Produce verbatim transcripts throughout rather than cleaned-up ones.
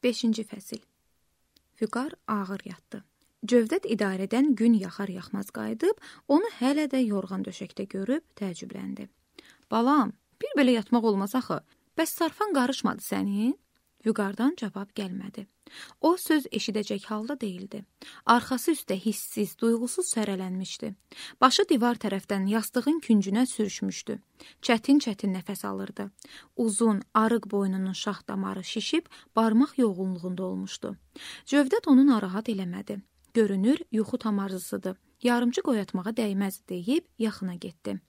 beşinci fəsil. Vüqar ağır yatdı. Cövdət idarədən gün yaxar-yaxmaz qayıdıb, onu hələ də yorğan döşəkdə görüb təəccübləndi. Balam, bir belə yatmaq olmaz axı. Bəs sarfan qarışmadı sənin? Vüqardan cavab gəlmədi. O söz eşidəcək halda değildi. Arxası üstə hissiz, duyğusuz sərələnmişdi. Başı divar tərəfdən yastığın küncünə sürüşmüşdü. Çətin-çətin nəfəs alırdı. Uzun, arıq boynunun şax damarı şişib, barmaq yoğunluğunda olmuşdu. Cövdət onu narahat eləmədi. Görünür, yuxu tamarzısıdır. Yarımcı qoyatmağa dəyməz deyib yaxına getdi.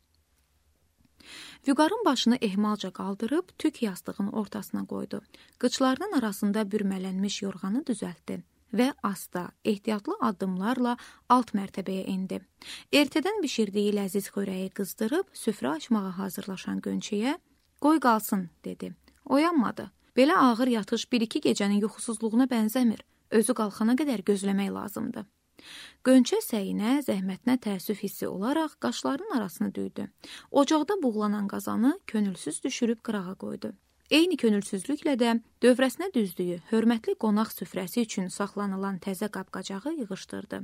Vüqarın başını ehmalca qaldırıb tük yastığın ortasına qoydu. Qıçlarının arasında bürmələnmiş yorğanı düzəltdi və asta, ehtiyatlı addımlarla alt mərtəbəyə indi. Ertədən bişirdiyi ləziz xörəyi qızdırıb süfrə açmağa hazırlaşan Gönçəyə "Qoy qalsın" dedi. Oyanmadı. Belə ağır yatış bir-iki gecənin yuxusuzluğuna bənzəmir. Özü qalxana qədər gözləmək lazımdır. Gönçə səyinə, zəhmətinə təəssüf hissi olaraq qaşlarının arasını düydü. Ocaqda buğlanan qazanı könülsüz düşürüb qırağa qoydu. Eyni könülsüzlüklə də dövrəsinə düzdüyü hörmətli qonaq süfrəsi üçün saxlanılan təzə qab-qacağı yığışdırdı.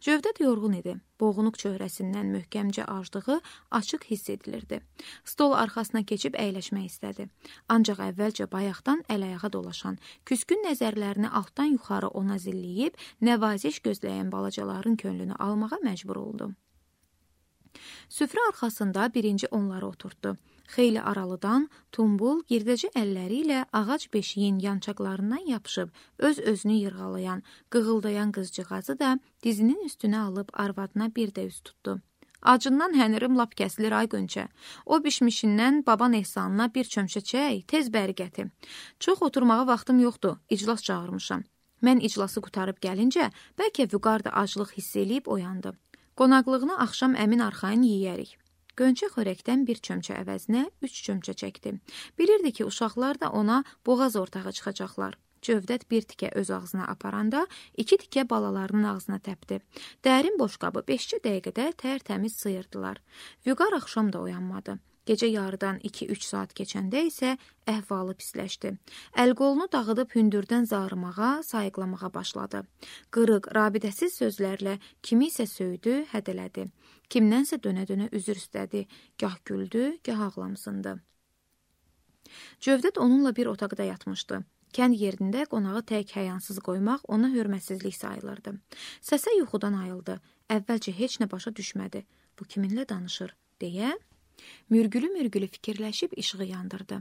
Cövdət yorğun idi. Boğunuq çöhrəsindən möhkəmcə acdığı açıq hiss edilirdi. Stol arxasına keçib əyləşmək istədi. Ancaq əvvəlcə bayaqdan əl-ayağa dolaşan, küskün nəzərlərini altdan yuxarı ona zilləyib, nəvaziş gözləyən balacaların könlünü almağa məcbur oldu. Süfrə arxasında birinci onları oturtdu. Xeyli aralıdan tumbul, girdəcə əlləri ilə ağac beşiyin yançaqlarından yapışıb, öz-özünü yırğalayan, qığıldayan qızcığazı da dizinin üstünə alıb arvadına bir də üz tutdu. Acından hənirim lap kəsilir ay Gönçə. O bişmişindən baban ehsanına bir çömçə çək, tez bəri gətir. Çox oturmağa vaxtım yoxdur, iclas çağırmışam. Mən iclası qutarıb gəlincə, bəlkə Vüqar da aclıq hiss eləyib oyandı. Qonaqlığını axşam əmin arxayın yeyərik. Gönçə xörəkdən bir çömçə əvəzinə üç çömçə çəkdi. Bilirdi ki, uşaqlar da ona boğaz ortağı çıxacaqlar. Cövdət bir tikə öz ağzına aparanda, iki tikə balalarının ağzına təpdi. Dərin boşqabı beşcə dəqiqədə tərtəmiz sıyırdılar. Vüqar axşam da oyanmadı. Gecə yarıdan iki-üç saat keçəndə isə əhvalı pisləşdi. Əl-qolunu dağıdıb hündürdən zarımağa, sayıqlamağa başladı. Qırıq, rabidəsiz sözlərlə kimi isə söydü, hədələdi. Kimdənsə dönə-dönə üzr istədi. Gah güldü, gah ağlamsındı. Cövdət onunla bir otaqda yatmışdı. Kənd yerində qonağı tək həyansız qoymaq ona hörmətsizlik sayılırdı. Səsə yuxudan ayıldı. Əvvəlcə heç nə başa düşmədi. Bu kiminlə danışır, deyə mürgülü-mürgülü fikirləşib işığı yandırdı.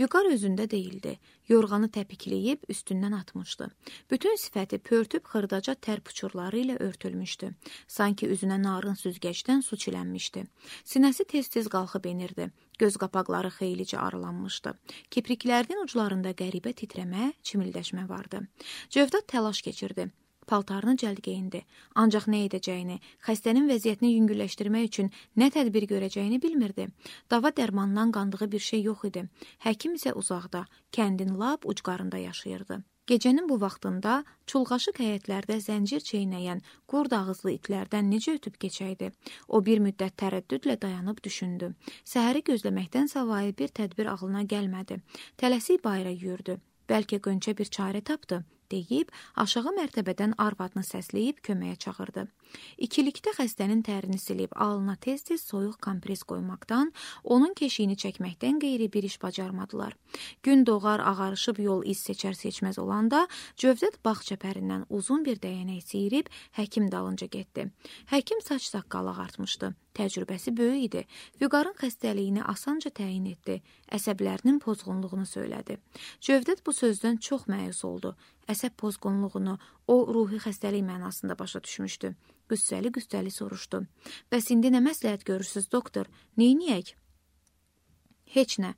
Vüqar özündə değildi. Yorğanı təpikləyib üstündən atmışdı. Bütün sifəti pörtüb xırdaca tər puçurları ilə örtülmüşdü. Sanki üzünə narın süzgəcdən su çilənmişdi. Sinəsi tez-tez qalxıb enirdi. Göz qapaqları xeylicə aralanmışdı. Kipriklərinin uclarında qəribə titrəmə, çimildəşmə vardı. Cövdət təlaş keçirdi. Paltarını cəld geyindi. Ancaq nə edəcəyini, xəstənin vəziyyətini yüngülləşdirmək üçün nə tədbir görəcəyini bilmirdi. Dava dərmandan qandığı bir şey yox idi. Həkim isə uzaqda, kəndin lap ucqarında yaşayırdı. Gecənin bu vaxtında çulğaşıq həyətlərdə zəncir çeynəyən qurd ağızlı itlərdən necə ötüb keçəydi? O bir müddət tərəddüdlə dayanıb düşündü. Səhəri gözləməkdən savayı bir tədbir ağlına gəlmədi. Tələsik bayıra yürüdü. Bəlkə Gönçə bir çarə tapdı, deyib aşağı mərtəbədən arvadını səsləyib köməyə çağırdı. İkilikdə xəstənin tərini silib alnına tez-tez soyuq kompres qoymaqdan, onun keşiyini çəkməkdən qeyri bir iş bacarmadılar. Gün doğar ağarışıb yol iz seçər-seçməz olanda Cövdət bağ çəpərindən uzun bir dəyənək siyirib həkim dalınca getdi. Həkim saç saqqal ağartmışdı. Təcrübəsi böyük idi. Vüqarın xəstəliyini asanca təyin etdi. Əsəblərinin pozğunluğunu söylədi. Cövdət bu sözdən çox məyus oldu. Əsəb pozğunluğunu o ruhi xəstəlik mənasında başa düşmüşdü. Qüssəli-qüssəli soruşdu. Bəs indi nə məsləhət görürsüz, doktor? Neyniyək? Heç nə.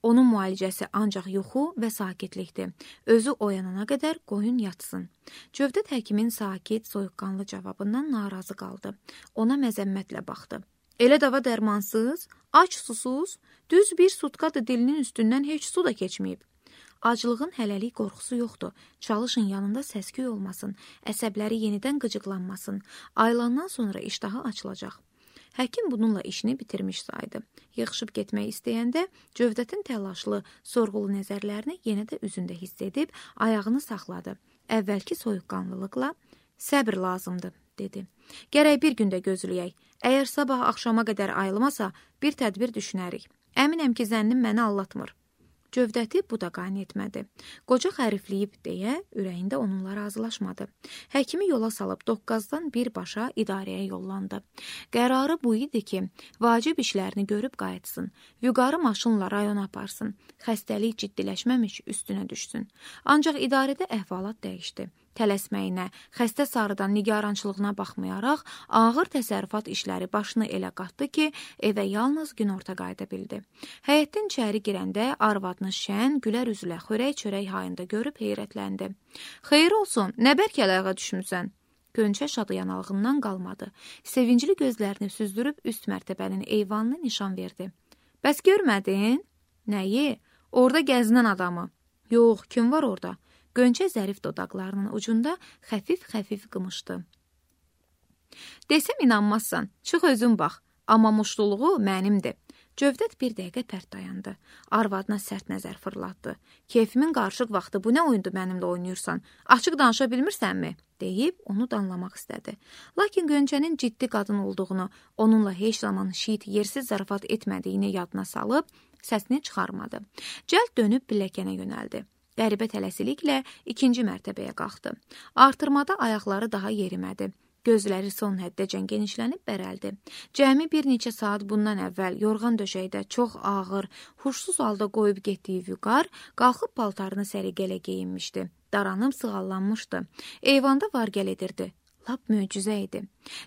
Onun müalicəsi ancaq yuxu və sakitlikdir. Özü oyanana qədər qoyun yatsın. Cövdət həkimin sakit, soyuqqanlı cavabından narazı qaldı. Ona məzəmmətlə baxdı. Elə dava dərmansız, aç susuz, düz bir sutkadır dilinin üstündən heç su da keçməyib. Aclığın hələlik qorxusu yoxdur. Çalışın yanında səsküy olmasın, əsəbləri yenidən qıcıqlanmasın. Aylandan sonra iştahı açılacaq. Həkim bununla işini bitirmiş saydı. Yığışıb getmək istəyəndə Cövdətin təlaşlı, sorğulu nəzərlərini yenə də üzündə hiss edib ayağını saxladı. Əvvəlki soyuqqanlılıqla səbr lazımdır, dedi. Gərək bir gündə gözləyək. Əgər sabah axşama qədər ayılmasa, bir tədbir düşünərik. Əminəm ki, zənnim məni allatmır. Cövdəti bu da qane etmədi. Qoca xərifləyib deyə ürəyində onunla razılaşmadı. Həkimi yola salıb doqqazdan birbaşa idarəyə yollandı. Qərarı bu idi ki, vacib işlərini görüb qayıtsın. Vüqarı maşınla rayona aparsın. Xəstəlik ciddiləşməmiş üstünə düşsün. Ancaq idarədə əhvalat dəyişdi. Tələsməyinə, xəstə sarıdan nigarançılığına baxmayaraq, ağır təsərrüfat işləri başını elə qatdı ki, evə yalnız günorta qayıda bildi. Həyətdən içəri girəndə arvadını şən, gülər üzlə xörək çörək hayında görüb heyrətləndi. Xeyir olsun, nə bərk əlağa düşmüsən? Gönçə şadı yanalığından qalmadı. Sevincli gözlərini süzdürüb üst mərtəbənin eyvanını nişan verdi. Bəs görmədin? Nəyi? Orada gəzinən adamı. Yox, kim var orada? Gönçə zərif dodaqlarının ucunda xəfif-xəfif qımışdı. Desəm inanmazsan, çıx özün bax, amma muşluluğu mənimdir. Cövdət bir dəqiqə pərt dayandı. Arvadına sərt nəzər fırlatdı. Keyfimin qarışıq vaxtı bu nə oyundur mənimlə oynayırsan? Açıq danışa bilmirsənmi? Deyib onu danlamaq istədi. Lakin Gönçənin ciddi qadın olduğunu, onunla heç zaman şiit yersiz zarafat etmədiyini yadına salıb, səsini çıxarmadı. Cəld dönüb pilləkənə yönəldi. Qəribə tələsiliklə ikinci mərtəbəyə qalxdı. Artırmada ayaqları daha yerimədi. Gözləri son həddəcən genişlənib bərəldi. Cəmi bir neçə saat bundan əvvəl yorğan döşəkdə çox ağır, huşsuz halda qoyub getdiyi Vüqar qalxıb paltarını səliqələ geyinmişdi. Daranıb sığallanmışdı. Eyvanda var-gəl edirdi. Lap möcüzə idi.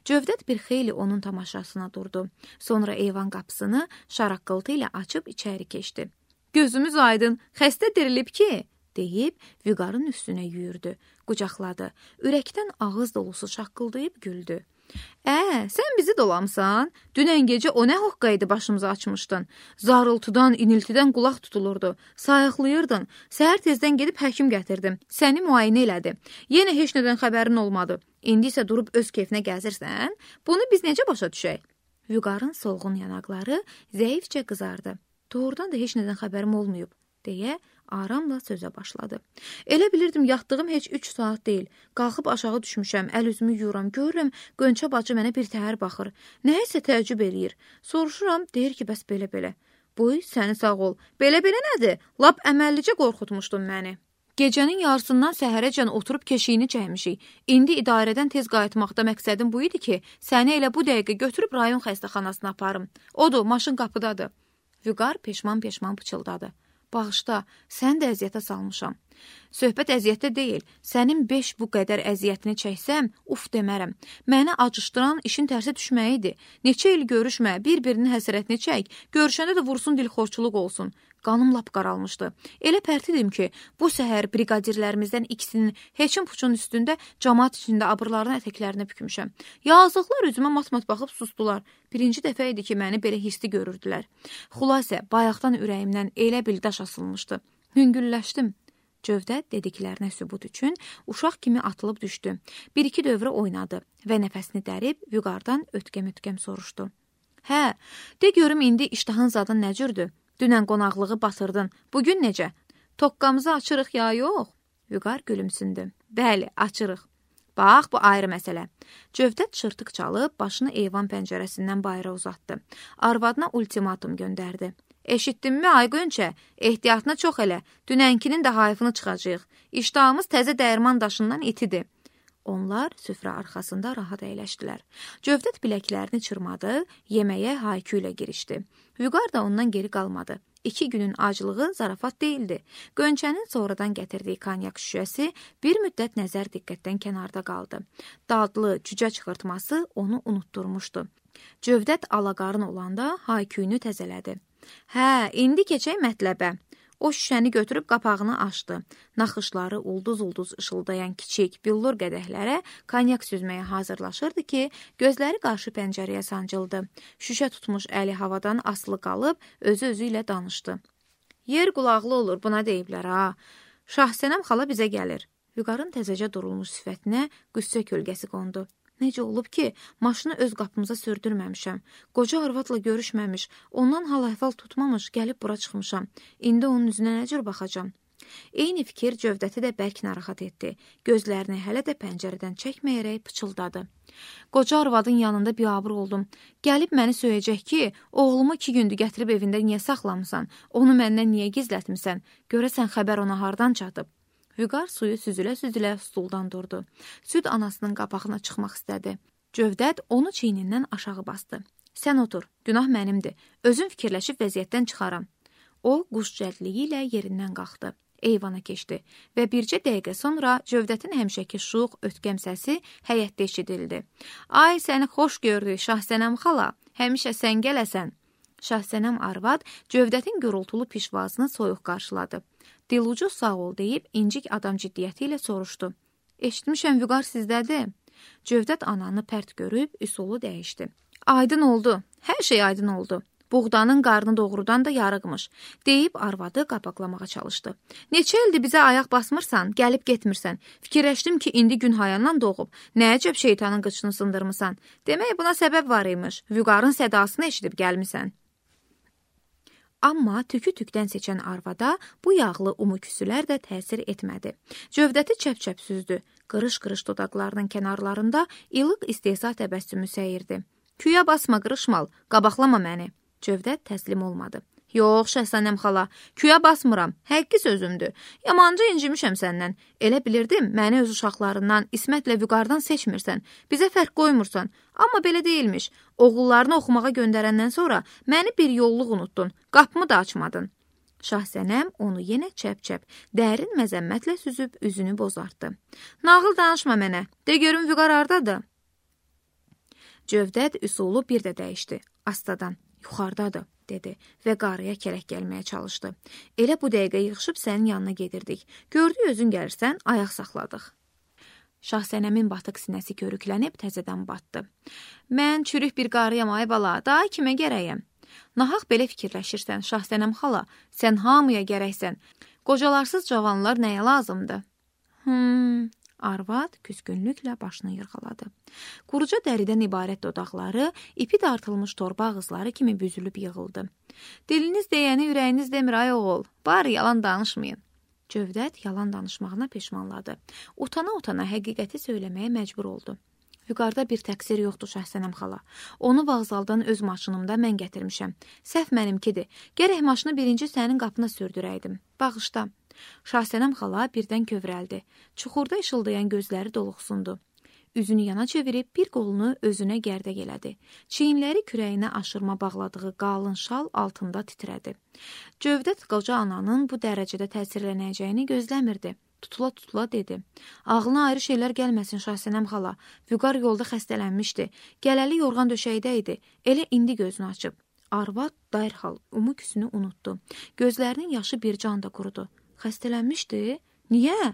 Cövdət bir xeyli onun tamaşasına durdu. Sonra eyvan qapısını şaraqqıltı ilə açıb içəri keçdi. Gözümüz aydın, xəstə dirilib ki, deyib Vüqarın üstünə yüyürdü, qucaqladı. Ürəkdən ağız dolusu şaqqıldayıb güldü. Ə, sən bizi dolamsan? Dünən gecə o nə hoqqaydı başımıza açmışdın. Zarıltıdan, iniltidən qulaq tutulurdu. Sayıqlayırdın. Səhər tezdən gedib həkim gətirdim. Səni müayinə elədi. Yenə heç nədən xəbərin olmadı. İndi isə durub öz keyfinə gəzirsən? Bunu biz necə başa düşək? Vüqarın solğun yanaqları zəifcə qızardı. Doğrudan da heç nədən xəbərim olmayıb, deyə aramla sözə başladı. Elə bilirdim yatdığım heç üç saat deyil. Qalxıb aşağı düşmüşəm, əl üzümü yuyuram, görürəm Gönçə bacı mənə bir təhər baxır. Nəyəsə təəccüb eləyir. Soruşuram, deyir ki, bəs belə-belə. Buy, səni sağ ol. Belə-belə nədir? Lap əməllicə qorxutmuşdun məni. Gecənin yarısından səhərəcən oturub keşiyini çəkmişik. İndi idarədən tez qayıtmaqda məqsədim bu idi ki, səni elə bu dəqiqə götürüb rayon xəstəxanasına aparım. Odur, maşın qapıdadır. Vüqar peşman-peşman pıçıldadı. Bağışda, sən də əziyyətə salmışam. Söhbət əziyyətdə deyil. Sənin beş bu qədər əziyyətini çəksəm, uf demərəm. Məni acışdıran işin tərsə düşməyidir. Neçə il görüşmə, bir-birinin həsrətini çək, görüşəndə də vursun dilxorçuluq olsun. Qanım lap qaralmışdı. Elə pərtidim ki, bu səhər briqadirlərimizdən ikisinin heçin puçun üstündə camaat içində abırlarının ətəklərinə bükmüşəm. Yazıqlar üzümə mat-mat baxıb sustular. Birinci dəfə idi ki, məni belə hisli görürdülər. Xülasə, bayaqdan ürəyimdən elə bil daş asılmışdı. Hüngülləşdim. Cövdət dediklərinə sübut üçün uşaq kimi atılıb düşdü. Bir-iki dövrə oynadı və nəfəsini dərib Vüqardan ötkəm-ötkəm soruşdu. Hə, de görüm indi iştahın zadın nə cürdür? Dünən qonaqlığı batırdın. Bugün necə? Toqqamızı açırıq ya yox? Vüqar gülümsündü. Bəli, açırıq. Bax, bu ayrı məsələ. Cövdət çırtıq çalıb başını eyvan pəncərəsindən bayıra uzatdı. Arvadına ultimatum göndərdi. Eşitdinmi, ay Gönçə? Ehtiyatına çox elə. Dünənkinin də hayfını çıxacaq. İştahımız təzə dəyirman daşından itidir. Onlar süfrə arxasında rahat əyləşdilər. Cövdət biləklərini çırmadı, yeməyə haykü ilə girişdi. Vüqar da ondan geri qalmadı. İki günün acılığı zarafat deyildi. Gönçənin sonradan gətirdiyi konyak şüşəsi bir müddət nəzər diqqətdən kənarda qaldı. Dadlı cücə çıxırtması onu unutturmuşdu. Cövdət alaqarın olanda hayküyünü təzələdi. Hə, indi keçək mətləbə. O şüşəni götürüb qapağını açdı. Naxışları ulduz-ulduz ışıldayan kiçik billur qədəhlərə konyak süzməyə hazırlaşırdı ki, gözləri qarşı pəncərəyə sancıldı. Şüşə tutmuş əli havadan asılı qalıb, özü-özü ilə danışdı. Yer qulaqlı olur, buna deyiblər, ha. Şahsənəm xala bizə gəlir. Vüqarın təzəcə durulmuş sifətinə qüssə kölgəsi qondu. Necə olub ki, maşını öz qapımıza sürdürməmişəm. Qoca arvadla görüşməmiş, ondan hal-əhval tutmamış, gəlib bura çıxmışam. İndi onun üzünə nə cür baxacam? Eyni fikir Cövdəti də bərk narahat etdi. Gözlərini hələ də pəncərədən çəkməyərək pıçıldadı. Qoca arvadın yanında biabır oldum. Gəlib məni söyəcək ki, oğlumu iki gündür gətirib evində niyə saxlamısan? Onu məndən niyə gizlətmisən? Görəsən xəbər ona hardan çatıb? Vüqar suyu süzülə-süzülə stuldan durdu. Süd anasının qapağına çıxmaq istədi. Cövdət onu çiynindən aşağı bastı. Sən otur, günah mənimdir. Özüm fikirləşib vəziyyətdən çıxaram. O, quş cəldliyi ilə yerindən qalxdı. Eyvana keçdi və bircə dəqiqə sonra Cövdətin həmişəki şux, ötkəm səsi həyətdə eşidildi. Ay, səni xoş gördük, Şahsənəm xala, həmişə sən gələsən. Şahsənəm arvad Cövdətin gürültülü pişvazını soyuq qarşıladı. Dilucu sağ ol deyib incik adam ciddiyyəti ilə soruşdu. Eşitmişəm Vüqar sizdədir. Cövdət ananı pərt görüb üsulu dəyişdi. Aydın oldu, hər şey aydın oldu. Buğdanın qarnı doğrudan da yarıqmış, deyib arvadı qapaqlamağa çalışdı. Neçə ildir bizə ayaq basmırsan, gəlib getmirsən. Fikirləşdim ki, indi gün hayandan doğub. Nə əcəb şeytanın qıçını sındırmısan. Demək buna səbəb var imiş. Vüqarın sədasını eşidib gəlmisən. Amma tükü tükdən seçən arvada bu yağlı umu küsülər də təsir etmədi. Cövdəti çəp-çəp süzdü. Qırış-qırış dodaqlarının kənarlarında ilıq istehza təbəssümü səyirdi. Küyə basma, qırışmal, qabaqlama məni. Cövdət təslim olmadı. Yox, Şəhsənəm xala, küyə basmıram, həqqi sözümdür. Yamanca incimişəm səndən. Elə bilirdim, məni öz uşaqlarından, İsmətlə Vüqardan seçmirsən, bizə fərq qoymursan. Amma belə deyilmiş. Oğullarını oxumağa göndərəndən sonra məni bir yolluq unuttun, qapımı da açmadın. Şahsənəm onu yenə çəp-çəp, dərin məzəmmətlə süzüb üzünü bozartdı. Nağıl danışma mənə, de görüm Vüqar hardadır? Cövdət üsulu bir də dəyişdi, astadan. Yuxarıdadır, dedi və qarıya kərək gəlməyə çalışdı. Elə bu dəqiqə yığışıb sənin yanına gedirdik. Gördük özün gəlirsən, ayaq saxladıq. Şahsənəmin batıq sinəsi körüklənib təzədən batdı. Mən çürük bir qarıyam ay bala, daha kimə gərəyəm? Nahaq belə fikirləşirsən, Şahsənəm xala, sən hamıya gərəksən. Qocalarsız cavanlar nəyə lazımdır? Hmm... Arvad küskünlüklə başını yırğaladı. Quruca dəridən ibarət dodaqları, ipi dartılmış torba ağızları kimi büzülüb yığıldı. Diliniz deyəni ürəyiniz demir ay oğul, bari yalan danışmayın. Cövdət yalan danışmağına peşmanladı. Utana-utana həqiqəti söyləməyə məcbur oldu. Vüqarda bir təqsir yoxdur Şəhsənəm xala. Onu vağzaldan öz maşınımda mən gətirmişəm. Səhv mənimkidir. Gərək maşını birinci sənin qapına sürdürəydim. Bağışda. Şahsənəm xala birdən kövrəldi. Çuxurda işıldayan gözləri doluxsundu. Üzünü yana çevirib bir qolunu özünə gərdək elədi. Çiyinləri kürəyinə aşırma bağladığı qalın şal altında titrədi. Cövdət qoca ananın bu dərəcədə təsirlənəcəyini gözləmirdi. Tutula-tutula dedi. Ağlına ayrı şeylər gəlməsin Şahsənəm xala. Vüqar yolda xəstələnmişdi. Gələli yorğan döşəkdə idi. Elə indi gözünü açıb. Arvad dərhal umu küsünü unutdu. Gözlərinin yaşı bir can da qurudu. Xəstələnmişdi? Niyə?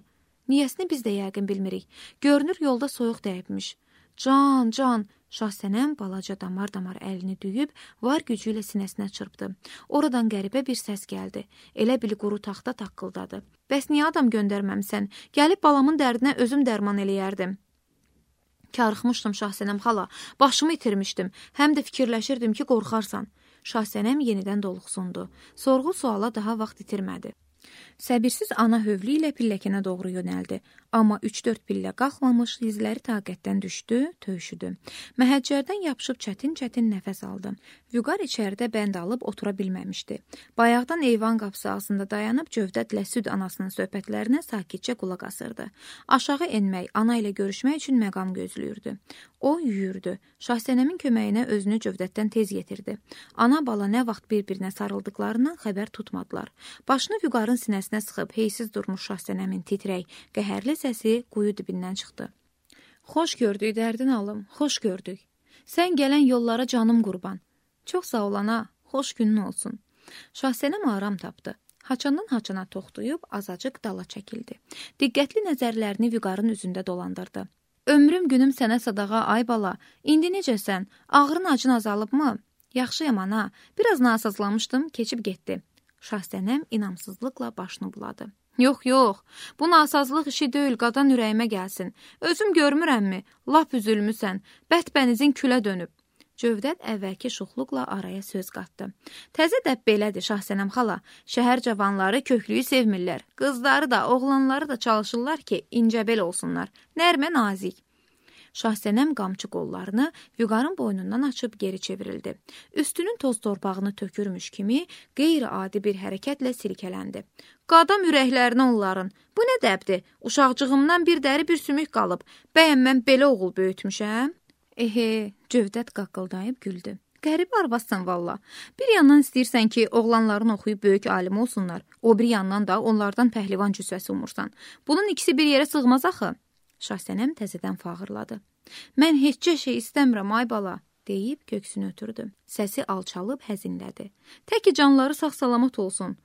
Niyəsini biz də yəqin bilmirik. Görünür yolda soyuq dəyibmiş. Can, can, Şahsənəm balaca damar-damar əlini düyüb, var gücü ilə sinəsinə çırpdı. Oradan qəribə bir səs gəldi. Elə bil quru taxta taqqıldadı. Bəs niyə adam göndərməmsən? Gəlib balamın dərdinə özüm dərman eləyərdim. Karıxmışdım Şahsənəm xala, başımı itirmişdim. Həm də fikirləşirdim ki, qorxarsan. Şahsənəm yenidən doluxsundu. Sorğu suala daha vaxt itirmədi. Səbirsiz ana hövlü ilə pilləkənə doğru yönəldi. Amma üç-dörd pillə qalxmamış, dizləri taqətdən düşdü, töyüşüdü. Məhəccərdən yapışıb çətin-çətin nəfəs aldı. Vüqar içəridə bənd alıb otura bilməmişdi. Bayaqdan eyvan qapısı ağzında dayanıb Cövdətlə süd anasının söhbətlərinə sakitcə qulaq asırdı. Aşağı enmək, ana ilə görüşmək üçün məqam gözləyirdi. O yüyürdü. Şahsənəmin köməyinə özünü Cövdətdən tez yetirdi. Ana bala nə vaxt bir-birinə sarıldıqlarından xəbər tutmadılar. Başını Vüqarın sinəsinə sıxıb heysiz durmuş Şahsənəmin titrək, qəhərli səsi quyu dibindən çıxdı. Xoş gördük, dərdin alım, xoş gördük. Sən gələn yollara canım qurban. Çox sağ ol ana, xoş günün olsun. Şahsənəm aram tapdı. Haçandan haçana toxtuyub azacıq dala çəkildi. Diqqətli nəzərlərini Vüqarın üzündə dolandırdı. Ömrüm günüm sənə sadağa ay bala, indi necəsən? Ağrın acın azalıbmı? Yaxşıyam ana, biraz nasazlamışdım, keçib getdi. Şahsənəm inamsızlıqla başını buladı. Yox, yox, bu nasazlıq işi deyil, qadan ürəyimə gəlsin. Özüm görmürəmmi? Lap üzülmüsən, bətbənizin külə dönüb. Cövdət əvvəlki şuxluqla araya söz qatdı. Təzə dəb belədir, Şahsənəm xala. Şəhər cavanları köklüyü sevmirlər. Qızları da, oğlanları da çalışırlar ki, incəbel olsunlar. Nərmə nazik. Şahsənəm qamçı qollarını Vüqarın boynundan açıb geri çevrildi. Üstünün toz torpağını tökürmüş kimi qeyri-adi bir hərəkətlə silkələndi. Qadam ürəklərini onların. Bu nə dəbdir? Uşaqcığımdan bir dəri bir sümük qalıb. Bəyəm mən belə oğul böyütmüşəm? Ehe, Cövdət qaqqıldayıb güldü. Qəribə arvadsan valla. Bir yandan istəyirsən ki, oğlanların oxuyub böyük alim olsunlar. O bir yandan da onlardan pəhlivan cüssəsi umursan. Bunun ikisi bir yerə sığmaz axı. Şahsənəm təzədən fağırladı. Mən heçcə şey istəmirəm, ay bala, deyib köksünü ötürdü. Səsi alçalıb həzinlədi. Təki canları sağ-salamat olsun.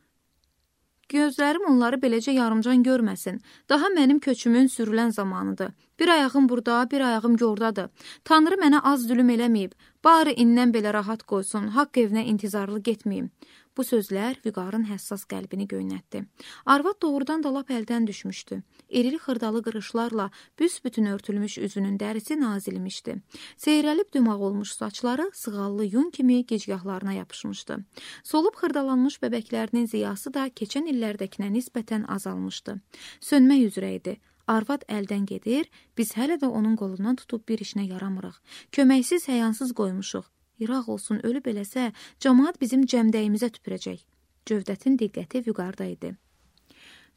Gözlərim onları beləcə yarımcan görməsin. Daha mənim köçümün sürülən zamanıdır. Bir ayağım burada, bir ayağım yordadır. Tanrı mənə az zülüm eləməyib. Bari indən belə rahat qoysun, haqq evinə intizarlı getməyim. Bu sözlər Vüqarın həssas qəlbini göynətdi. Arvad doğrudan da lap əldən düşmüşdü. İrili xırdalı qırışlarla büsbütün örtülmüş üzünün dərisi nazilmişdi. Seyrəlib dümaq olmuş saçları sığallı yun kimi gicgahlarına yapışmışdı. Solub xırdalanmış bəbəklərinin ziyası da keçən illərdəkinə nisbətən azalmışdı. Sönmək üzrə idi. Arvad əldən gedir, biz hələ də onun qolundan tutub bir işinə yaramırıq. Köməksiz, həyansız qoymuşuq. İraq olsun, ölüb eləsə, cəmaat bizim cəmdəyimizə tüpürəcək. Cövdətin diqqəti Vüqarda idi.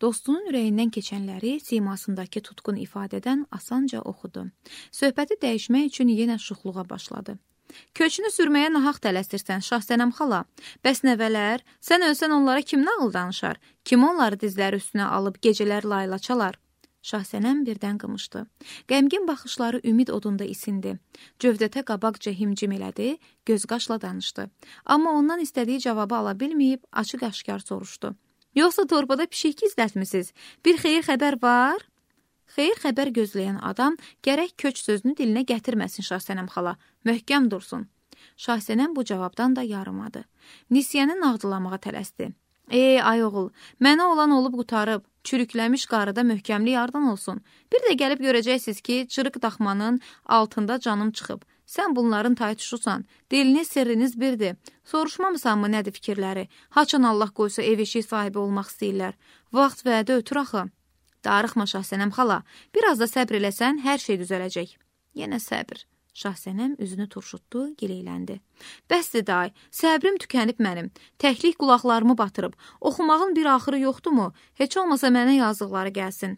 Dostunun ürəyindən keçənləri simasındakı tutqun ifadədən asanca oxudu. Söhbəti dəyişmək üçün yenə şuxluğa başladı. Köçünü sürməyə nahaq tələsirsən, Şahsənəm xala. Bəs nəvələr, sən ölsən onlara kim nağıl danışar? Kim onları dizləri üstünə alıb gecələr layla çalar? Şahsənəm birdən qımışdı. Qəmgin baxışları ümid odunda isindi. Cövdətə qabaqca himcim elədi, göz-qaşla danışdı. Amma ondan istədiyi cavabı ala bilməyib, açıq-aşkar soruşdu. Yoxsa torpada pişik gizlətmisiniz? Bir xeyir xəbər var? Xeyir xəbər gözləyən adam gərək köç sözünü dilinə gətirməsin Şahsənəm xala, möhkəm dursun. Şahsənəm bu cavabdan da yarımadı. Nisiyəni nağdılamağa tələsdi. Ey, ay oğul, mənə olan olub qutarıb, çürükləmiş qarıda möhkəmli yardan olsun. Bir də gəlib görəcəksiniz ki, çırıq daxmanın altında canım çıxıb. Sən bunların taytuşusan, diliniz, sirriniz birdir. Soruşmamısan mı nədir fikirləri? Haçan Allah qoysa ev eşik sahibi olmaq istəyirlər. Vaxt vədə ötür axı. Darıxma Şahsənəm xala, biraz da səbr eləsən, hər şey düzələcək. Yenə səbr. Şahsənəm üzünü turşutdu, gileyləndi. Bəsdir day, səbrim tükənib mənim. Təklik qulaqlarımı batırıb. Oxumağın bir axırı yoxdurmu? Heç olmasa mənə yazıqları gəlsin.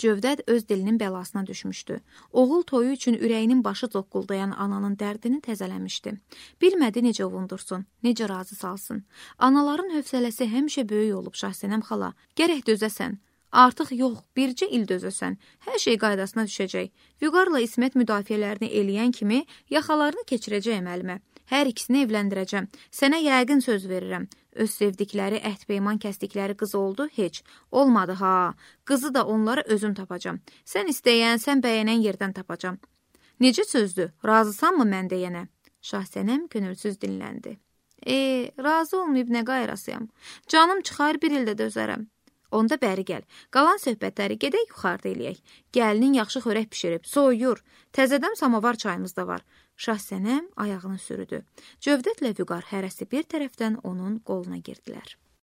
Cövdət öz dilinin bəlasına düşmüşdü. Oğul toyu üçün ürəyinin başı zoqquldayan ananın dərdini təzələmişdi. Bilmədi necə ovundursun, necə razı salsın. Anaların hövsələsi həmişə böyük olub Şahsənəm xala. Gərək dözəsən. Artıq yox, bircə il dözəsən. Hər şey qaydasına düşəcək. Vüqarla İsmət müdafiələrini eləyən kimi yaxalarını keçirəcəyəm əlimə. Hər ikisini evləndirəcəm. Sənə yəqin söz verirəm. Öz sevdikləri, əhd-peyman kəsdikləri qız oldu, heç. Olmadı ha. Qızı da onlara özüm tapacam. Sən istəyən, sən bəyənən yerdən tapacam. Necə sözdür? Razısanmı mən deyənə? Şahsənəm könülsüz dinləndi. E, razı olmayıb nə qayrasıyam? Canım çıxar, bir ildə dözərəm. Onda bəri gəl. Qalan söhbətləri gedək yuxarıda eləyək. Gəlinin yaxşı xörək pişirib, soyuyur. Təzədən samavar çayımız da var. Şahsənəm ayağını sürüdü. Cövdətlə Vüqar hərəsi bir tərəfdən onun qoluna girdilər.